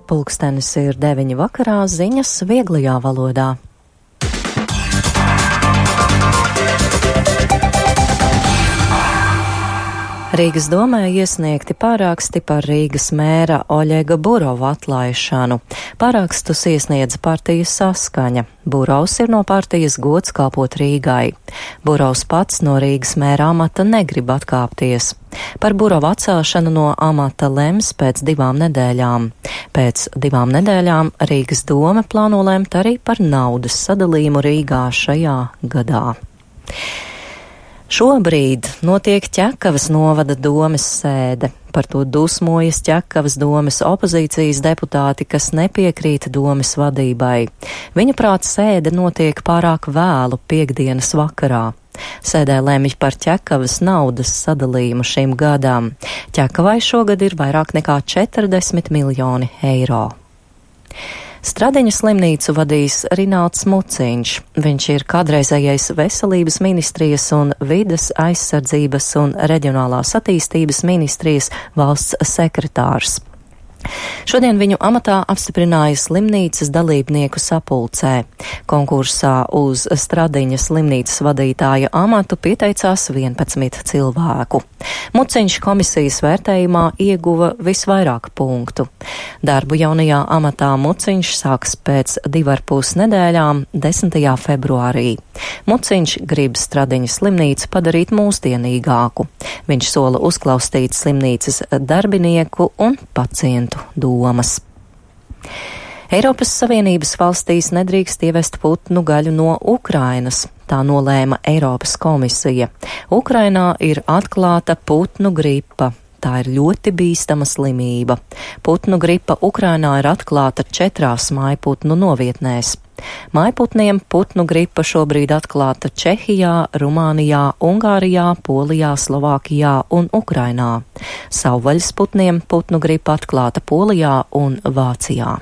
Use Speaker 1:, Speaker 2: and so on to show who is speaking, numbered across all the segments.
Speaker 1: Pulkstenis ir 9 vakarā, ziņas vieglajā valodā. Rīgas domē iesniegti pārāksti par Rīgas mēra Oļega Burova atlaišanu. Pārākstus iesniedza partijas Saskaņa. Burovs ir no partijas Gods kalpot Rīgai. Burovs pats no Rīgas mēra amata negrib atkāpties. Par Burova atcelšanu no amata lems pēc 2 nedēļām. Pēc 2 nedēļām Rīgas dome plāno lemt arī par naudas sadalījumu Rīgā šajā gadā. Šobrīd notiek Ķekavas novada domes sēde. Par to dusmojas Ķekavas domes opozīcijas deputāti, kas nepiekrīt domes vadībai. Viņuprāt, sēde notiek pārāk vēlu piektdienas vakarā. Sēdē lemj par Ķekavas naudas sadalījumu šim gadam. Ķekavai šogad ir vairāk nekā 40 miljoni eiro. Stradiņa slimnīcu vadīs Rinalds Muciņš. Viņš ir kādreizējais Veselības ministrijas un Vides aizsardzības un reģionālās attīstības ministrijas valsts sekretārs. Šodien viņu amatā apstiprināja slimnīcas dalībnieku sapulcē. Konkursā uz Stradiņa slimnīcas vadītāja amatu pieteicās 11 cilvēku. Muciņš komisijas vērtējumā ieguva visvairāk punktu. Darbu jaunajā amatā Muciņš sāks pēc 2,5 nedēļām 10. februārī. Muciņš grib Stradiņa slimnīcu padarīt mūsdienīgāku. Viņš sola uzklausīt slimnīcas darbinieku un pacientu domas. Eiropas Savienības valstīs nedrīkst ievest putnu gaļu no Ukrainas. Tā nolēma Eiropas komisija. Ukrainā ir atklāta putnu gripa. Tā ir ļoti bīstama slimība. Putnu gripa Ukrainā ir atklāta 4 mājputnu novietnēs. Mājputniem putnu gripa šobrīd atklāta Čehijā, Rumānijā, Ungārijā, Polijā, Slovākijā un Ukrainā. Savvaļas putniem putnu gripa atklāta Polijā un Vācijā.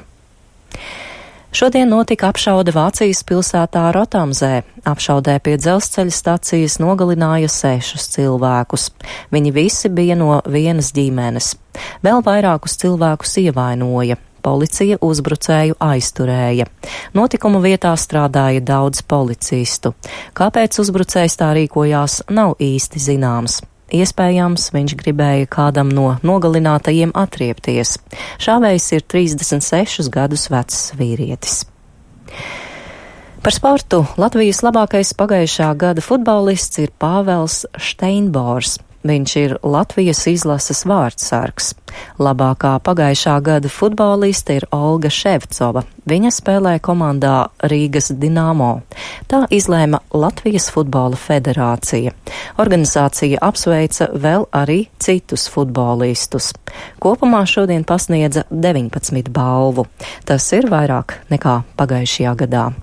Speaker 1: Šodien notika apšaude Vācijas pilsētā Rotamzē. Apšaudē pie dzelzceļa stacijas nogalināja 6 cilvēkus. Viņi visi bija no vienas ģimenes. Vēl vairākus cilvēkus ievainoja. Policija uzbrucēju aizturēja. Notikuma vietā strādāja daudz policistu. Kāpēc uzbrucējs tā rīkojās, nav īsti zināms. Iespējams, viņš gribēja kādam no nogalinātajiem atriepties. Šāvējs ir 36 gadus vecs vīrietis. Par sportu Latvijas labākais pagājušā gada futbolists ir Pāvels Šteinbors. Viņš ir Latvijas izlases vārdsargs. Labākā pagājušā gada futboliste ir Olga Ševcova. Viņa spēlē komandā Rīgas Dinamo. Tā izlēma Latvijas futbola federācija. Organizācija apsveica vēl arī citus futbolistus. Kopumā šodien pasniedza 19 balvu. Tas ir vairāk nekā pagājušajā gadā.